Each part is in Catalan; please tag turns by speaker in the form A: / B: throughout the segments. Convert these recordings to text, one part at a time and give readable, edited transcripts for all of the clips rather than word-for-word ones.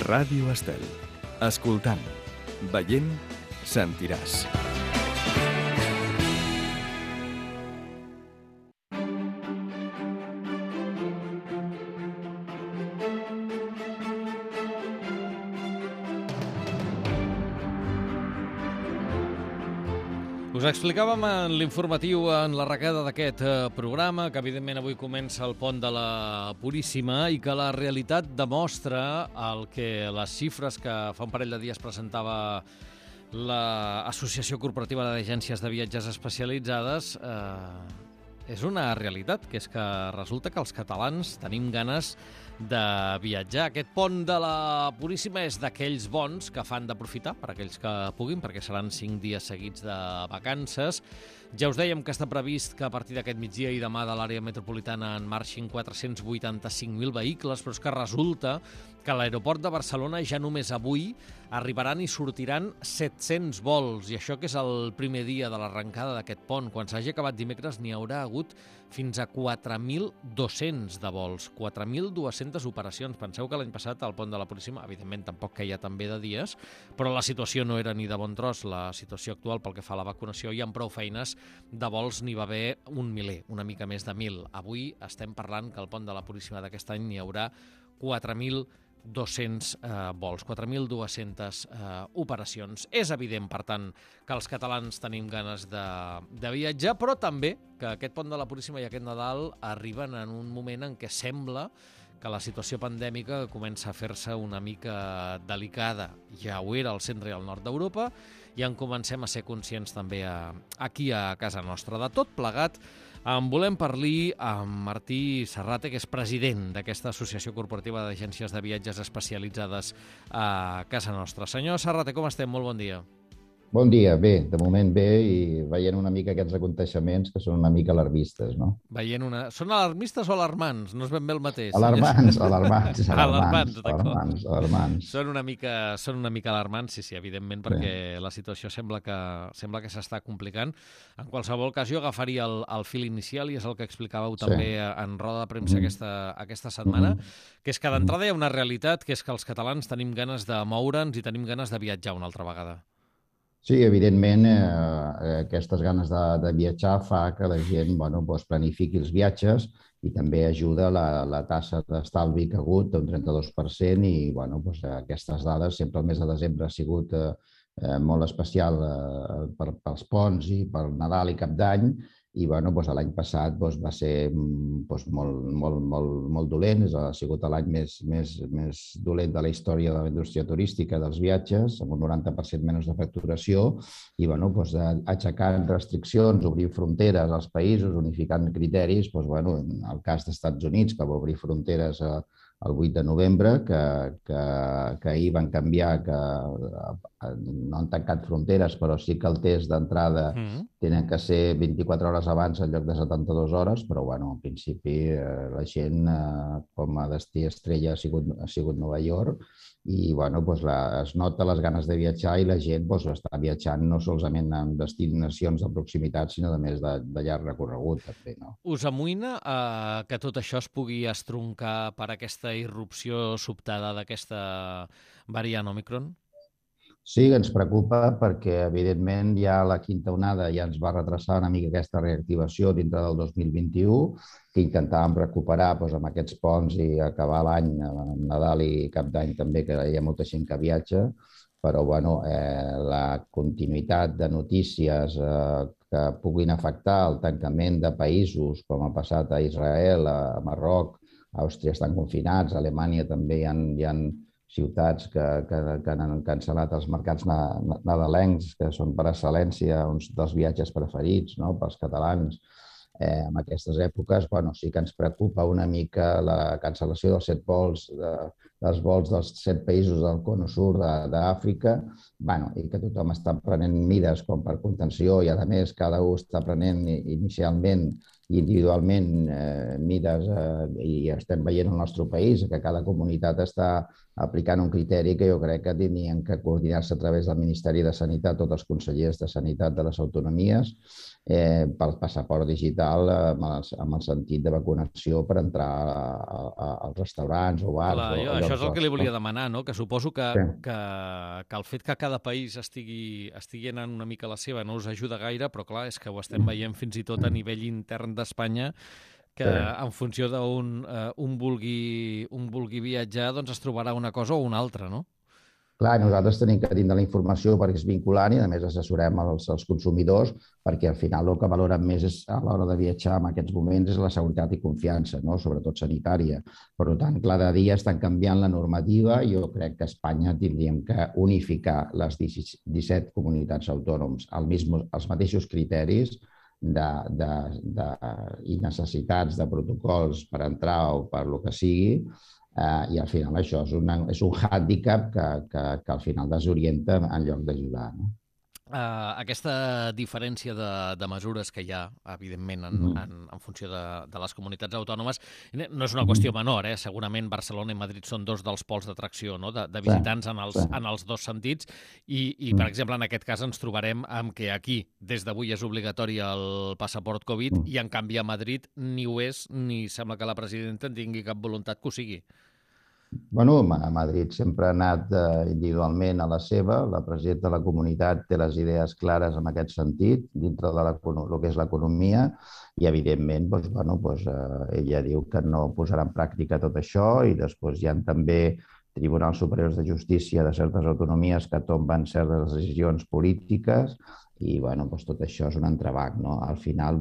A: Ràdio Estel. Escoltant, veient, sentiràs.
B: Us explicàvem en l'informatiu en l'arrencada d'aquest programa que evidentment avui comença el pont de la Puríssima i que la realitat demostra el que les xifres que fa un parell de dies presentava l'Associació Corporativa d'Agències de Viatges Especialitzades és una realitat, que és que resulta que els catalans tenim ganes de viatjar. Aquest pont de la Puríssima és d'aquells bons que fan d'aprofitar per aquells que puguin, perquè seran 5 dies seguits de vacances. Ja us dèiem que està previst que a partir d'aquest migdia i demà de l'àrea metropolitana en marxin 485.000 vehicles, però és que resulta que a l'aeroport de Barcelona ja només avui arribaran i sortiran 700 vols, i això que és el primer dia de l'arrencada d'aquest pont. Quan s'hagi acabat dimecres n'hi haurà hagut fins a 4.200 de vols, 4.200 operacions. Penseu que l'any passat al pont de la Puríssima, evidentment tampoc queia tan bé de dies, però la situació no era ni de bon tros. La situació actual pel que fa a la vacunació i amb prou feines de vols n'hi va haver un miler, una mica més de 1.000. Avui estem parlant que al pont de la Puríssima d'aquest any n'hi haurà 4.200 vols, 4.200 operacions. És evident, per tant, que els catalans tenim ganes de viatjar, però també que aquest pont de la Puríssima i aquest Nadal arriben en un moment en què sembla que la situació pandèmica comença a fer-se una mica delicada. Ja ho era al centre i al nord d'Europa i en comencem a ser conscients també aquí a casa nostra. De tot plegat, en volem parlar amb Martí Serrate, que és president d'aquesta Associació Corporativa d'Agències de Viatges Especialitzades a casa nostra. Senyor Serrate, com estem? Molt bon dia.
C: Bon dia, bé, de moment bé, i veient una mica aquests aconteixements que són una mica alarmistes, no?
B: Són alarmistes o alarmants? No és ben bé el mateix.
C: Alarmants.
B: Són una mica alarmants, sí, evidentment, perquè la situació sembla que s'està complicant. En qualsevol cas, jo agafaria el fil inicial, i és el que explicàveu també en roda de premsa aquesta setmana, que és que d'entrada hi ha una realitat, que és que els catalans tenim ganes de moure'ns i tenim ganes de viatjar una altra vegada.
C: Sí, evidentment, aquestes ganes de viatjar fa que la gent planifiqui els viatges i també ajuda la tassa d'estalvi que ha hagut d'un 32% i aquestes dades, sempre el mes de desembre ha sigut molt especial pels ponts i pel Nadal i Cap d'Any, i l'any passat va ser molt dolent, ha sigut l'any més dolent de la història de la indústria turística dels viatges, amb un 90% menys de facturació, i aixecant restriccions, obrint fronteres als països, unificant criteris, en el cas dels Estats Units, que va obrir fronteres el 8 de novembre, que ahir van canviar, que no han tancat fronteres, però sí que el test d'entrada tenen que ser 24 hores abans en lloc de 72 hores, però en principi la gent com a destí estrella ha sigut Nova York, i es nota les ganes de viatjar i la gent està viatjant no solament en destinacions de proximitat, sinó de més de llarg recorregut. També, no?
B: Us amoïna que tot això es pugui estroncar per aquesta irrupció sobtada d'aquesta variant Òmicron?
C: Sí, ens preocupa perquè, evidentment, ja la quinta onada ja ens va retrasar una mica aquesta reactivació dintre del 2021, que intentàvem recuperar amb aquests ponts i acabar l'any, Nadal i Cap d'Any també, que hi ha molta gent que viatja, però la continuïtat de notícies que puguin afectar el tancament de països, com ha passat a Israel, a Marroc, a Àustria estan confinats, a Alemanya també hi ha ciutats que han cancel·lat els mercats nadalencs, que són per excel·lència uns dels viatges preferits pels catalans. En aquestes èpoques sí que ens preocupa una mica la cancel·lació dels 7 vols, dels vols dels 7 països del Cono Sur d'Àfrica, i que tothom està prenent mides com per contenció, i a més cada un està prenent inicialment i individualment mides, i estem veient al nostre país que cada comunitat està aplicant un criteri que jo crec que tenien que coordinar-se a través del Ministeri de Sanitat, tots els consellers de Sanitat de les autonomies, pel passaport digital amb el sentit de vacunació per entrar als restaurants o bars o llocs
B: Això és el que li volia demanar, no? Que suposo que el fet que cada país estigui anant una mica a la seva no us ajuda gaire, però clar, és que ho estem veient fins i tot a nivell intern d'Espanya, que en funció d'un vulgui viatjar, doncs es trobarà una cosa o una altra, no?
C: Clar, nosaltres tenim que tindre la informació perquè és vinculant i, a més, assessorem els consumidors perquè, al final, el que valoren més a l'hora de viatjar en aquests moments és la seguretat i confiança, no? Sobretot sanitària. Per tant, cada dia estan canviant la normativa i jo crec que a Espanya tindríem que unificar les 17 comunitats autònoms als mateixos criteris i necessitats de protocols per entrar o per lo que sigui, i al final això és un hàndicap que al final desorienta en lloc d'ajudar.
B: Aquesta diferència de mesures que hi ha, evidentment, en funció de les comunitats autònomes, no és una qüestió menor. Segurament Barcelona i Madrid són dos dels pols d'atracció, no? De visitants en els dos sentits i, per exemple, en aquest cas ens trobarem amb que aquí, des d'avui, és obligatori el passaport Covid i, en canvi, a Madrid ni ho és ni sembla que la presidenta en tingui cap voluntat que ho sigui.
C: Bueno, a Madrid sempre ha anat individualment a la seva. La presidenta de la comunitat té les idees clares en aquest sentit, dintre de el que és l'economia, i, evidentment, ella diu que no posarà en pràctica tot això, i després hi ha també tribunals superiors de justícia de certes autonomies que tomben certes decisions polítiques, i tot això és un entrebanc. Al final,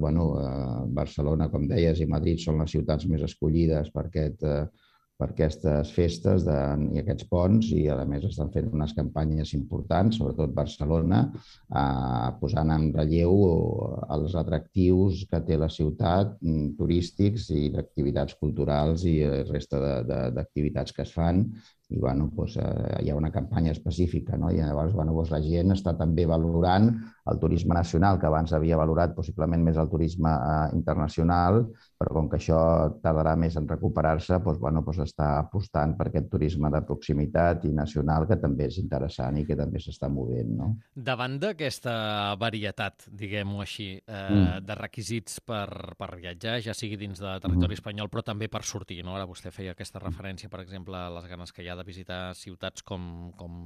C: Barcelona, com deies, i Madrid són les ciutats més escollides per aquestes festes i aquests ponts, i a més estan fent unes campanyes importants, sobretot Barcelona, posant en relleu els atractius que té la ciutat, turístics i d'activitats culturals i la resta d'activitats que es fan. I hi ha una campanya específica, i llavors la gent està també valorant el turisme nacional, que abans havia valorat possiblement més el turisme internacional, però com que això tardarà més en recuperar-se, està apostant per aquest turisme de proximitat i nacional, que també és interessant i que també s'està movent.
B: Davant d'aquesta varietat, diguem-ho així, de requisits per viatjar, ja sigui dins de territori espanyol, però també per sortir, no? Ara vostè feia aquesta referència, per exemple, a les ganes que hi ha de visitar ciutats com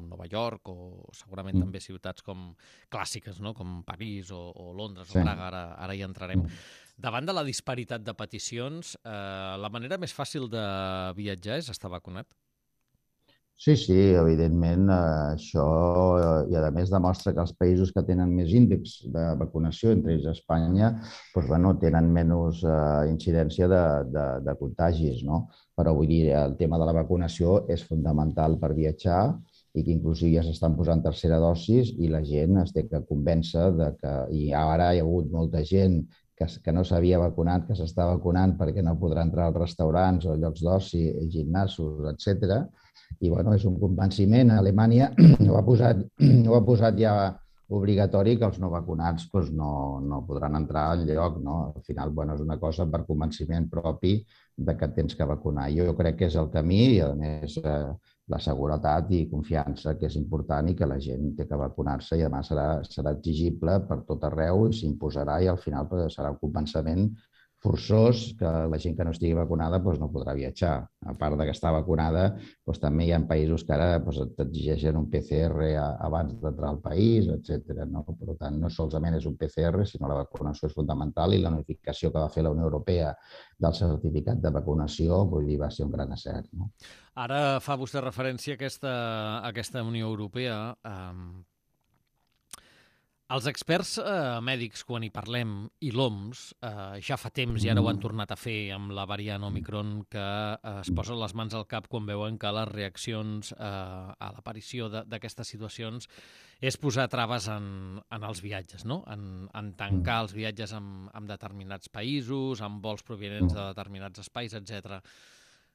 B: Nova York, o segurament també ciutats com clàssiques, no? Com París o Londres o Praga, ara hi entrarem. Davant de la disparitat de peticions, la manera més fàcil de viatjar és estar vacunat?
C: Sí, evidentment, això, i a més demostra que els països que tenen més índex de vacunació, entre ells Espanya, tenen menys incidència de contagis, no? Però vull dir, el tema de la vacunació és fonamental per viatjar, i que inclusive ja s'estan posant tercera dosis i la gent es té que convèncer que... I ara hi ha hagut molta gent que no s'havia vacunat, que s'està vacunant perquè no podrà entrar als restaurants o llocs d'oci, gimnasos, etc. I és un convenciment. Alemanya ho ha posat ja obligatori, que els no vacunats no podran entrar al lloc. Al final és una cosa per convenciment propi que tens que vacunar. Jo crec que és el camí, i a més la seguretat i confiança, que és important, i que la gent té que vacunar-se, i a més serà exigible per tot arreu i s'imposarà, i al final serà un convenciment forçós que la gent que no estigui vacunada no podrà viatjar. A part que està vacunada, també hi ha països que ara t'exigeixen un PCR abans d'entrar al país, etc. Per tant, no solament és un PCR, sinó la vacunació és fundamental, i la notificació que va fer la Unió Europea del certificat de vacunació va ser un gran encert.
B: Ara fa vostè referència a aquesta Unió Europea. Els experts mèdics, quan hi parlem, i l'OMS, ja fa temps, i ara ho han tornat a fer amb la variant Omicron, que es posen les mans al cap quan veuen que les reaccions a l'aparició d'aquestes situacions és posar traves en els viatges, no? En tancar els viatges amb determinats països, amb vols provinents de determinats espais, etc.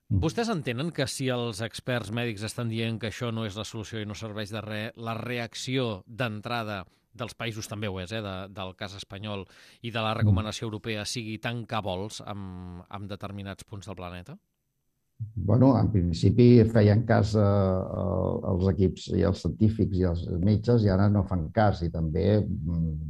B: Vostès entenen que si els experts mèdics estan dient que això no és la solució i no serveix de res, la reacció d'entrada dels països també ho és, del cas espanyol, i de la recomanació europea sigui tancar vols en determinats punts del planeta?
C: En principi feien cas als equips i als científics i als metges, i ara no fan cas. I també,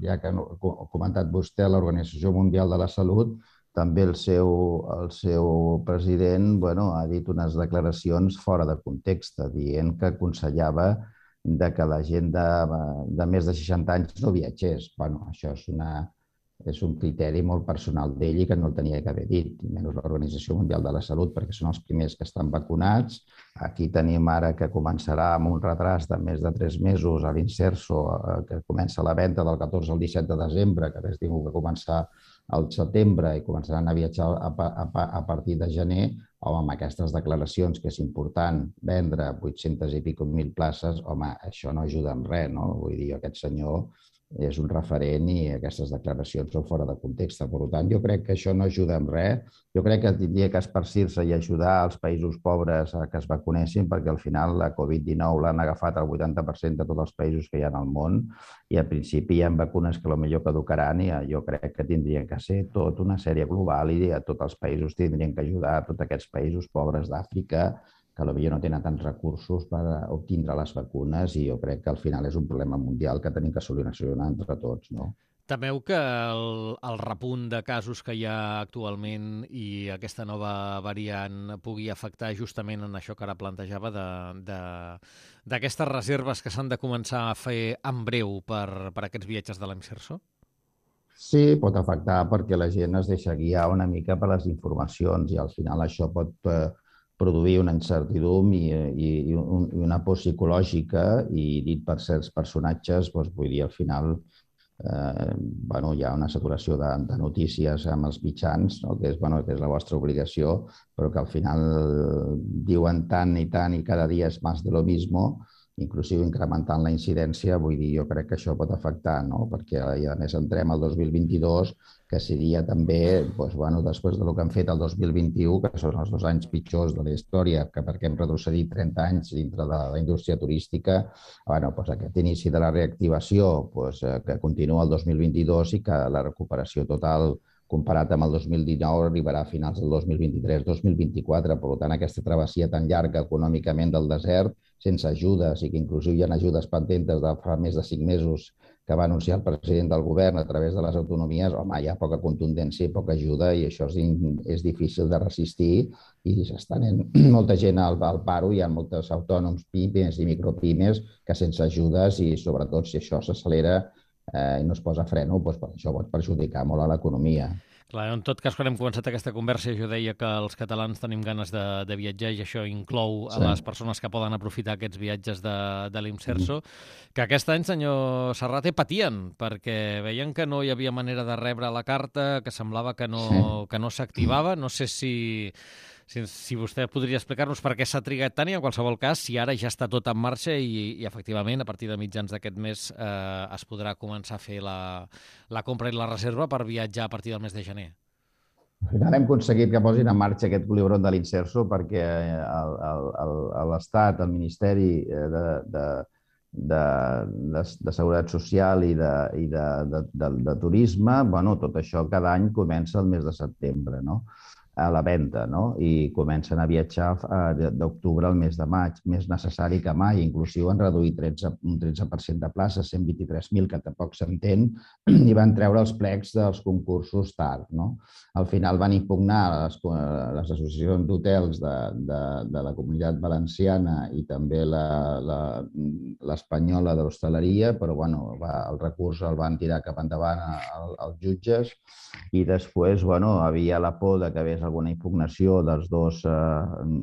C: ja que ha comentat vostè, l'Organització Mundial de la Salut també el seu president ha dit unes declaracions fora de context, dient que aconsellava que la gent de més de 60 anys no viatgés. Això és un criteri molt personal d'ell i que no el tenia que haver dit, menys l'Organització Mundial de la Salut, perquè són els primers que estan vacunats. Aquí tenim ara que començarà amb un retras de més de 3 mesos a l'Inserso, que comença la venda del 14 al 17 de desembre, que hagués tingut que començar al setembre i començaran a viatjar a partir de gener. Home, amb aquestes declaracions que és important vendre 800 i pico mil places, home, això no ajuda en res, no? Vull dir, aquest senyor és un referent i aquestes declaracions són fora de context. Per tant, jo crec que això no ajuda en res. Jo crec que hauria que esparcir-se i ajudar els països pobres a que es vacunessin, perquè al final la Covid-19 l'han agafat el 80% de tots els països que hi ha al món i al principi hi ha vacunes que potser caducaran i jo crec que tindrien que ser tot una sèrie global i a tots els països tindrien que ajudar a tots aquests països pobres d'Àfrica que potser no tenen tants recursos per obtindre les vacunes i jo crec que al final és un problema mundial que tenim que solucionar entre tots, no?
B: Temeu que el repunt de casos que hi ha actualment i aquesta nova variant pugui afectar justament en això que ara plantejava d'aquestes reserves que s'han de començar a fer en breu per aquests viatges de l'Imserso?
C: Sí, pot afectar perquè la gent es deixa guiar una mica per les informacions i al final això pot produir una incertidumbre i una por psicològica i dit per certs personatges, vull dir, al final hi ha una saturació de notícies amb els mitjans, no? Que és la vostra obligació, però que al final diuen tant i cada dia és més de lo mismo, inclusive incrementant la incidència. Vull dir, jo crec que això pot afectar, no? Perquè a més entrem al 2022, que seria també, després del que han fet el 2021, que són els 2 anys pitjors de la història, perquè hem retrocedit 30 anys dintre de la indústria turística, aquest inici de la reactivació que continua el 2022 i que la recuperació total comparat amb el 2019 arribarà a finals del 2023-2024. Per tant, aquesta travessia tan llarga econòmicament del desert, sense ajudes i que inclusive hi ha ajudes pendents de fa més de 5 mesos que va anunciar el president del govern a través de les autonomies, hi ha poca contundència i poca ajuda i això és difícil de resistir i s'està anant molta gent al paro, hi ha molts autònoms, pimes i micropimes que sense ajudes i sobretot si això s'accelera i no es posa freno, això pot perjudicar molt a l'economia.
B: Clar, en tot cas, quan hem començat aquesta conversa, jo deia que els catalans tenim ganes de viatjar i això inclou a les persones que poden aprofitar aquests viatges de l'Imserso, que aquest any, senyor Serrate, patien, perquè veien que no hi havia manera de rebre la carta, que semblava que no s'activava. No sé si vostè podria explicar-nos per què s'ha trigat tant i, en qualsevol cas, si ara ja està tot en marxa i efectivament, a partir de mitjans d'aquest mes es podrà començar a fer la compra i la reserva per viatjar a partir del mes de gener.
C: Al final hem aconseguit que posin en marxa aquest culebron de l'Imserso perquè l'Estat, el Ministeri de Seguretat Social i de Turisme, tot això cada any comença el mes de setembre, no? A la venda, no? I comencen a viatjar d'octubre al mes de maig, més necessari que mai. Inclusive han reduït un 13% de places, 123.000, que tampoc s'entén, i van treure els plecs dels concursos tard, no? Al final van impugnar les associacions d'hotels de la Comunitat Valenciana i també l'espanyola de l'hostaleria, però el recurs el van tirar cap endavant els jutges i després havia la por que hagués alguna impugnació dels 2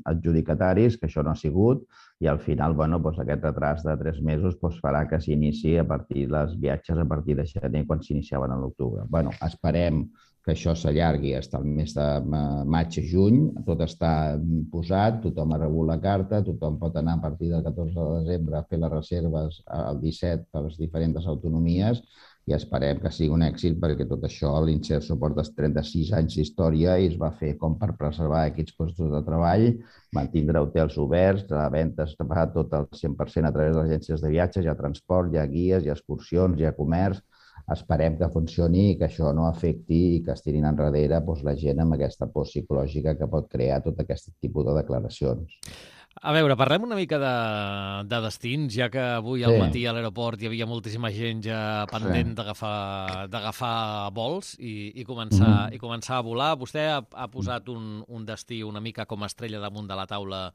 C: adjudicataris, que això no ha sigut, i al final aquest retras de 3 mesos farà que s'inici a partir dels viatges a partir de gener, quan s'iniciaven a l'octubre. Esperem que això s'allargui fins al mes de maig-juny, tot està posat, tothom ha rebut la carta, tothom pot anar a partir del 14 de desembre a fer les reserves el 17 per les diferents autonomies i esperem que sigui un èxit perquè tot això l'Imserso porta 36 anys d'història i es va fer com per preservar aquests postos de treball, mantindre hotels oberts, la venda es fa tot al 100% a través de les agències de viatges, hi ha transport, hi ha guies, hi ha excursions, hi ha comerç. Esperem que funcioni i que això no afecti i que es tirin enrere la gent amb aquesta por psicològica que pot crear tot aquest tipus de declaracions.
B: A veure, parlem una mica de destins, ja que avui al matí a l'aeroport hi havia moltíssima gent ja pendent d'agafar vols i començar a volar. Vostè ha posat un destí una mica com a estrella damunt de la taula,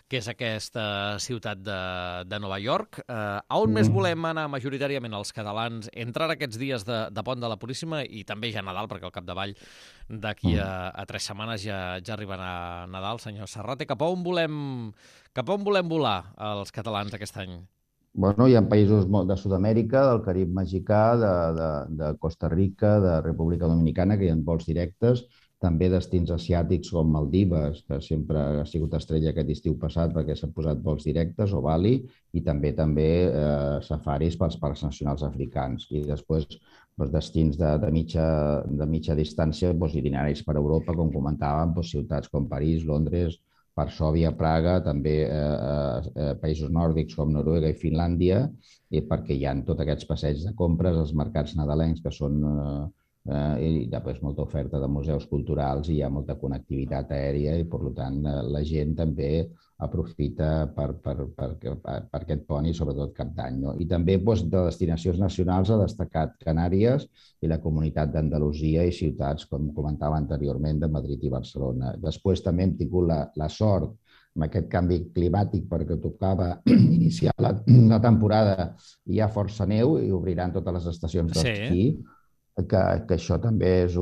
B: que és aquesta ciutat de Nova York. A on més volem anar majoritàriament els catalans entre aquests dies de Pont de la Puríssima i també ja Nadal, perquè al capdavall d'aquí a 3 setmanes ja arribarà Nadal, senyor Serrate. Cap a on volem volar els catalans aquest any?
C: Bueno, hi ha països de Sud-amèrica, del Carib mexicà, de Costa Rica, de República Dominicana, que hi ha vols directes, també destins asiàtics com Maldives, que sempre ha sigut estrella aquest estiu passat perquè s'han posat vols directes, o Bali, i també safaris pels parcs nacionals africans. I després destins de mitja distància, itineraris per Europa, com comentàvem, ciutats com París, Londres, Varsòvia, Praga, també països nòrdics com Noruega i Finlàndia, perquè hi ha tots aquests passeigs de compres, els mercats nadalencs, que són i després molta oferta de museus culturals i hi ha molta connectivitat aèria i, per tant, la gent també aprofita per aquest pont i, sobretot, Cap d'Any. No? I també de destinacions nacionals ha destacat Canàries i la Comunitat d'Andalusia i ciutats, com comentava anteriorment, de Madrid i Barcelona. Després també hem tingut la sort amb aquest canvi climàtic perquè tocava iniciar la temporada i hi ha força neu i obriran totes les estacions d'esquí. Que això també hi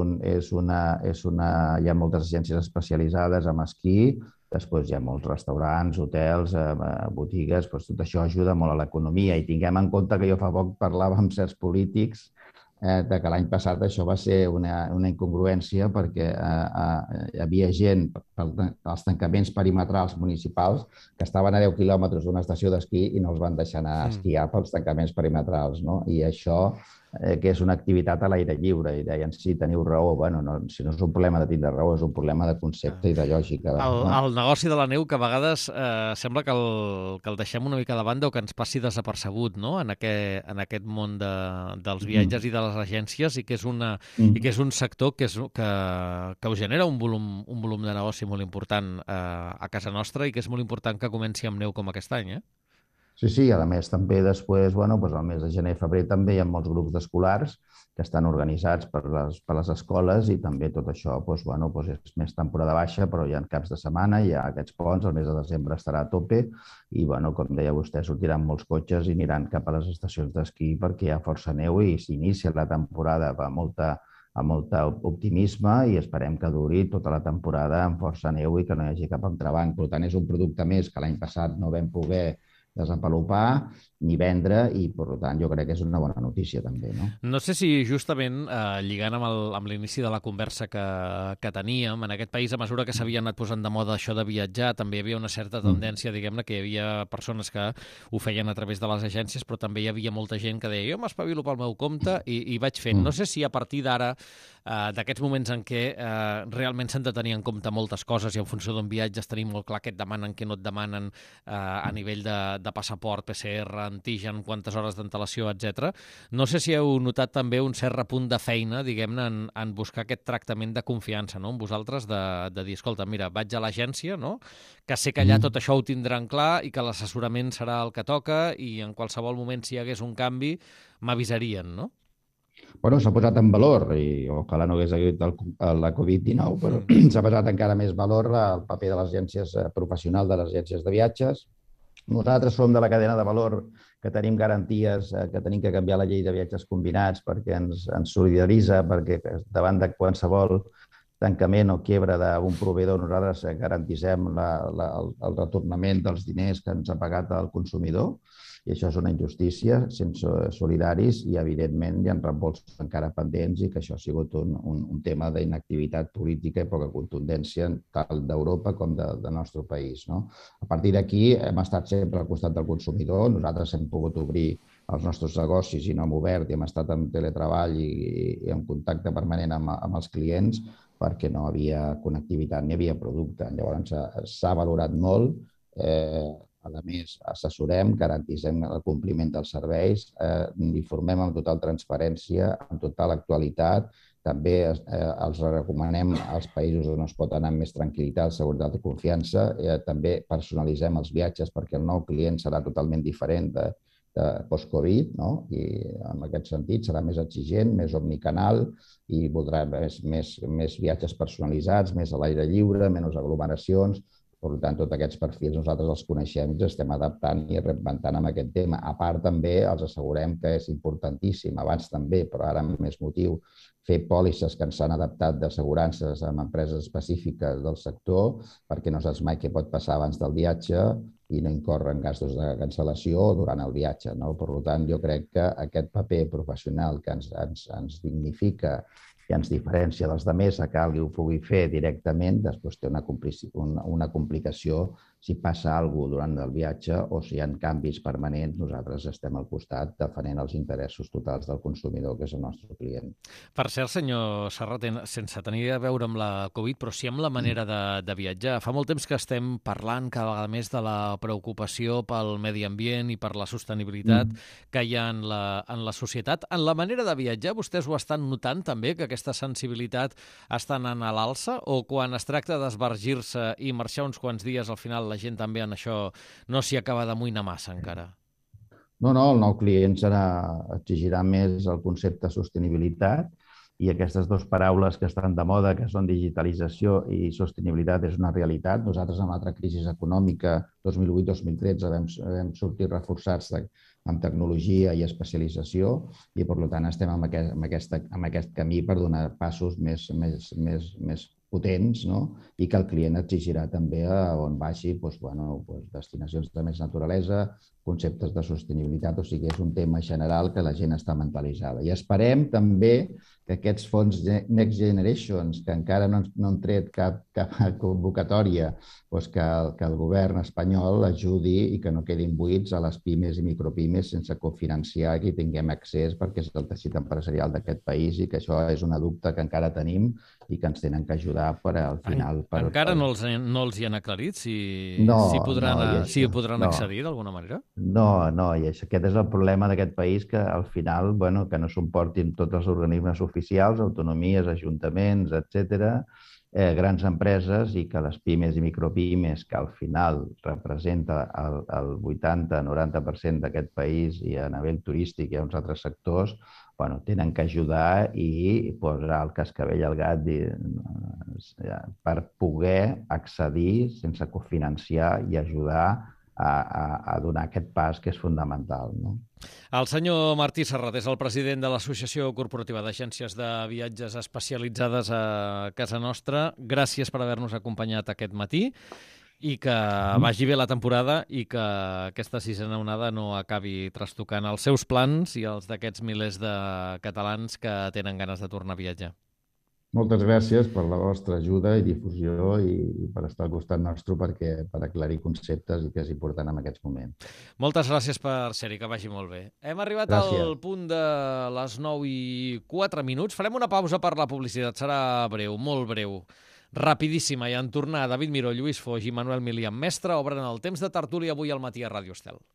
C: ha moltes agències especialitzades en esquí, després hi ha molts restaurants, hotels, botigues, tot això ajuda molt a l'economia. I tinguem en compte que jo fa poc parlava amb certs polítics que l'any passat això va ser una incongruència perquè hi havia gent als tancaments perimetrals municipals que estaven a 10 quilòmetres d'una estació d'esquí i no els van deixar anar a esquiar pels tancaments perimetrals. I això que és una activitat a l'aire lliure, i deien, sí, teniu raó. Bueno, si no és un problema de tindre raó, és un problema de concepte i de lògica.
B: El negoci de la neu, que a vegades sembla que el deixem una mica de banda o que ens passi desapercebut, no?, en aquest món dels viatges i de les agències, i que és un sector que us genera un volum de negoci molt important a casa nostra i que és molt important que comenci amb neu com aquest any,
C: Sí, a més també després, al mes de gener i febrer també hi ha molts grups d'escolars que estan organitzats per les escoles i també tot això és més temporada baixa, però hi ha caps de setmana, hi ha aquests ponts, el mes de desembre estarà a tope i, com deia vostè, sortiran molts cotxes i aniran cap a les estacions d'esquí perquè hi ha força neu i s'inicia la temporada amb molt optimisme i esperem que duri tota la temporada amb força neu i que no hi hagi cap entrebanc. Per tant, és un producte més que l'any passat no vam poder desenvolupar ni vendre i, per tant, jo crec que és una bona notícia també.
B: No sé si justament lligant amb l'inici de la conversa que teníem, en aquest país, a mesura que s'havia anat posant de moda això de viatjar, també hi havia una certa tendència, diguem-ne, que hi havia persones que ho feien a través de les agències, però també hi havia molta gent que deia jo m'espavilo pel meu compte i vaig fent. No sé si a partir d'ara, d'aquests moments en què realment s'han de tenir en compte moltes coses i en funció d'on viatges tenim molt clar què et demanen, què no et demanen a nivell de passaport, PCR, antigen, quantes hores d'antelació, etc. No sé si heu notat també un cert repunt de feina, diguem-ne, en buscar aquest tractament de confiança, no?, en vosaltres, de dir, escolta, mira, vaig a l'agència, no?, que sé que allà tot això ho tindran clar i que l'assessorament serà el que toca i en qualsevol moment, si hi hagués un canvi, m'avisarien, no?
C: S'ha posat en valor, i ojalà no hagués hagut la Covid-19, però s'ha posat encara més valor el paper de les agències professionals, de les agències de viatges. Nosaltres som de la cadena de valor que tenim garanties, que tenim que canviar la llei de viatges combinats perquè ens solidaritza, perquè davant de qualsevol tancament o quiebra d'un proveïdor nosaltres garantissem el retornament dels diners que ens ha pagat el consumidor. I això és una injustícia, sense solidaris, i evidentment hi ha reembolsos encara pendents i que això ha sigut un tema d'inactivitat política i poca contundència tant d'Europa com del nostre país. A partir d'aquí hem estat sempre al costat del consumidor, nosaltres hem pogut obrir els nostres negocis i no hem obert i hem estat en teletreball i en contacte permanent amb els clients perquè no havia connectivitat ni havia producte. Llavors s'ha valorat molt. A més, assessorem, garantissem el compliment dels serveis, informem amb total transparència, amb total actualitat També els recomanem als països on es pot anar amb més tranquil·litat, seguretat i confiança. També personalitzem els viatges perquè el nou client serà totalment diferent de post-Covid, no? I en aquest sentit serà més exigent, més omnicanal i voldrà més viatges personalitzats, més a l'aire lliure, menys aglomeracions. Per tant, tots aquests perfils nosaltres els coneixem i ens estem adaptant i reinventant amb aquest tema. A part, també els assegurem que és importantíssim, abans també, però ara amb més motiu, fer pòlisses que ens han adaptat d'assegurances amb empreses específiques del sector, perquè no saps mai què pot passar abans del viatge i no incorren gastos de cancel·lació durant el viatge, no? Per tant, jo crec que aquest paper professional que ens dignifica i ens diferència dels altres, que algú ho pugui fer directament, després té una complicació si passa alguna cosa durant el viatge o si hi ha canvis permanents, nosaltres estem al costat defensant els interessos totals del consumidor, que és el nostre client.
B: Per cert, senyor Serrat, sense tenir a veure amb la Covid, però sí amb la manera de viatjar. Fa molt temps que estem parlant cada vegada més de la preocupació pel medi ambient i per la sostenibilitat que hi ha en la societat. En la manera de viatjar, vostès ho estan notant també, que aquesta sensibilitat està anant a l'alça, o quan es tracta d'esbargir-se i marxar uns quants dies, al final la gent també en això no s'hi acaba d'amoïnar massa encara?
C: No, el nou client exigirà més el concepte sostenibilitat i aquestes dues paraules que estan de moda, que són digitalització i sostenibilitat, és una realitat. Nosaltres, en l'altra crisi econòmica, 2008-2013, vam sortir reforçats amb tecnologia i especialització i, per tant, estem en aquest camí per donar passos més potents, no? I que el client exigirà també on vagi destinacions de més naturalesa, conceptes de sostenibilitat, o sigui, és un tema general que la gent està mentalitzada. I esperem també que aquests fons Next Generations, que encara no han tret cap convocatòria, que el govern espanyol ajudi i que no quedin buits a les pimes i micropimes sense cofinanciar, que hi tinguem accés perquè és el teixit empresarial d'aquest país i que això és una dubte que encara tenim i que ens tenen que ajudar per al final.
B: Encara no els hi han aclarit si podran accedir d'alguna manera?
C: No, i aquest és el problema d'aquest país, que al final, que no s'emportin tots els organismes oficials, autonomies, ajuntaments, etc., grans empreses, i que les pimes i micropimes, que al final representa el 80-90% d'aquest país i a nivell turístic i a uns altres sectors, tenen que ajudar i posar el cascavell al gat per poder accedir sense cofinanciar i ajudar a donar aquest pas que és fonamental, no?
B: El senyor Martí Serrat és el president de l'Associació Corporativa d'Agències de Viatges Especialitzades a casa nostra. Gràcies per haver-nos acompanyat aquest matí i que vagi bé la temporada i que aquesta sisena onada no acabi trastocant els seus plans i els d'aquests milers de catalans que tenen ganes de tornar a viatjar.
C: Moltes gràcies per la vostra ajuda i difusió i per estar al costat nostre per aclarir conceptes i que és important en aquests moments.
B: Moltes gràcies per ser-hi, que vagi molt bé. Hem arribat al punt de les 9:04. Farem una pausa per la publicitat. Serà breu, molt breu, rapidíssima, i en tornar David Miró, Lluís Foix i Manuel Milian Mestre obren el temps de tertúlia avui al matí a Ràdio Estel.